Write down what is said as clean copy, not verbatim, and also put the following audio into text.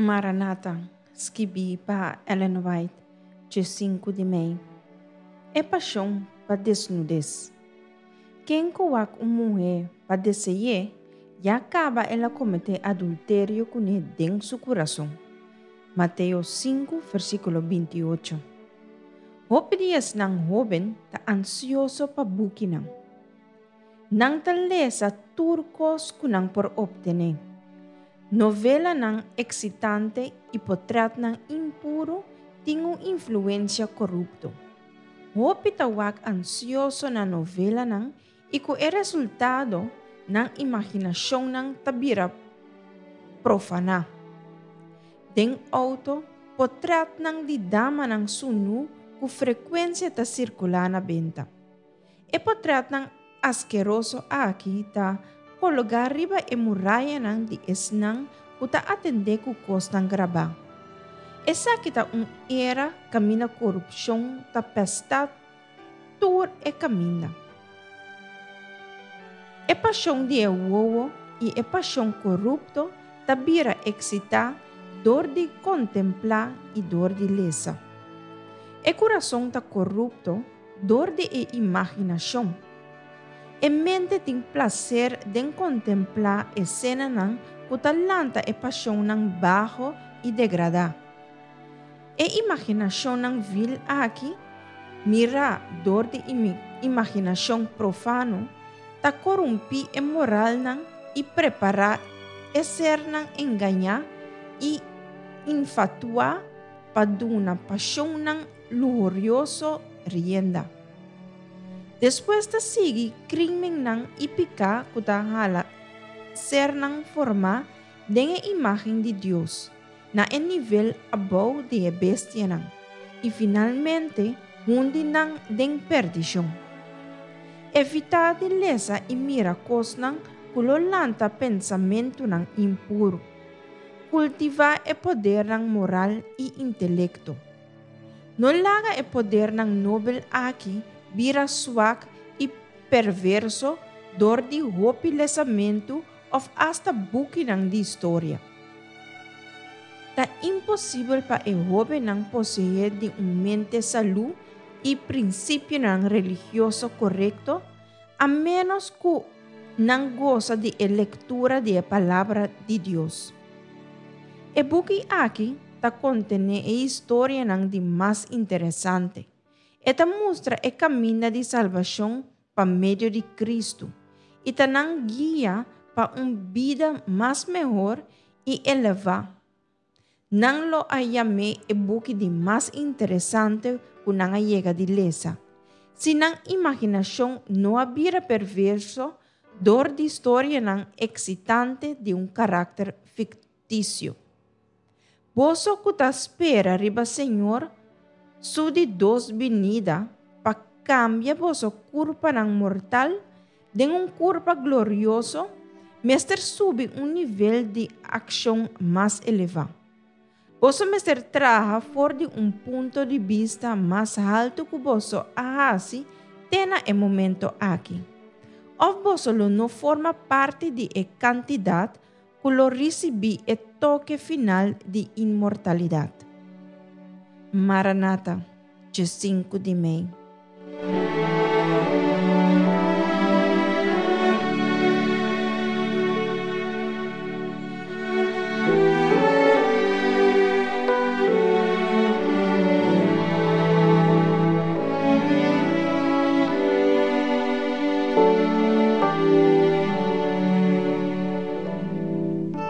Maranata, skibí pa Ellen White, 15 di mei. E pashon pa desnudes. Ken ku wak un muhé pa dese'é, ya kaba el a kometé adulterio kuné den su kurason. Mateo 5, versíkulo 28. Hopi di esnan hóben ta ansioso pa bukinan. Nan ta lesa tur kos ku nan por optené. Novelanan eksitante i potrètnan impuru tin un influensia korupto. Hopi ta wak ansioso na novelanan i ku e resultado nan imaginashonnan ta bira profaná. Den outo, potrètnan di damanan sunú ku frekuensia ta sirkulá na benta. E potrètnan askeroso aki ta kologá riba e murayanan di esnan ku ta atendé ku kosnan grabá. Esaki ta un era kaminda korupshon ta pèstá tur e kaminda. E pashon di e wowo i e pashon korupto ta bira eksitá dor di kontemplá i dor di lesa. E kurason ta korupto dor di e imaginashon. E mente tin plaser den kontemplá esenanan ku ta lanta e pashonnan baho i degradá. E imaginashonnan vil aki, mirá dor di imaginashon profano, ta korumpí e moralnan i prepará e sernan engañá i infatuá pa duna pashonnan luhurioso rienda. Despues ta sigui krímennan i piká ku ta hala sernan formá den e imágen di Dios na e nivel abou di e bestianan i finalmente hundi nan den perdishon. Evitá di lesa i mira kosnan ku lo lanta pensamentunan impuru. Kultivá e podernan moral i intelekto. No laga e podernan nobel aki bira swak i perverso dor di hopi lesamentu òf asta bukinan di historia. Ta imposibel pa e hóbennan poseé di un mente salú i prinsipionan religioso korekto a ménos ku nan gosa di e lektura di e Palabra di Dios. E buki aki ta kontené e historianan di mas interesante. E ta mustra e kaminda di salbashon pa medio di Kristu i ta nan guia pa un bida mas mehor i elevá. Nan lo a yam'é e buki di mas interesante ku nan a yega di lesa. Si nan imaginashon no a bira perverso dor di storianan eksitante di un karakter fiktisio. Boso ku ta spera riba Señor su di dos binida pa kambia boso kurpanan mortal den un kurpa glorioso, mester subi un nivel di akshon mas elevá. Boso mester traha for di un punto di bista mas haltu ku boso a hasi te na e momento aki. Òf boso lo no forma parti di e kantidat ku lo risibí e toke final di inmortalidat. Maranata, 15 di mei.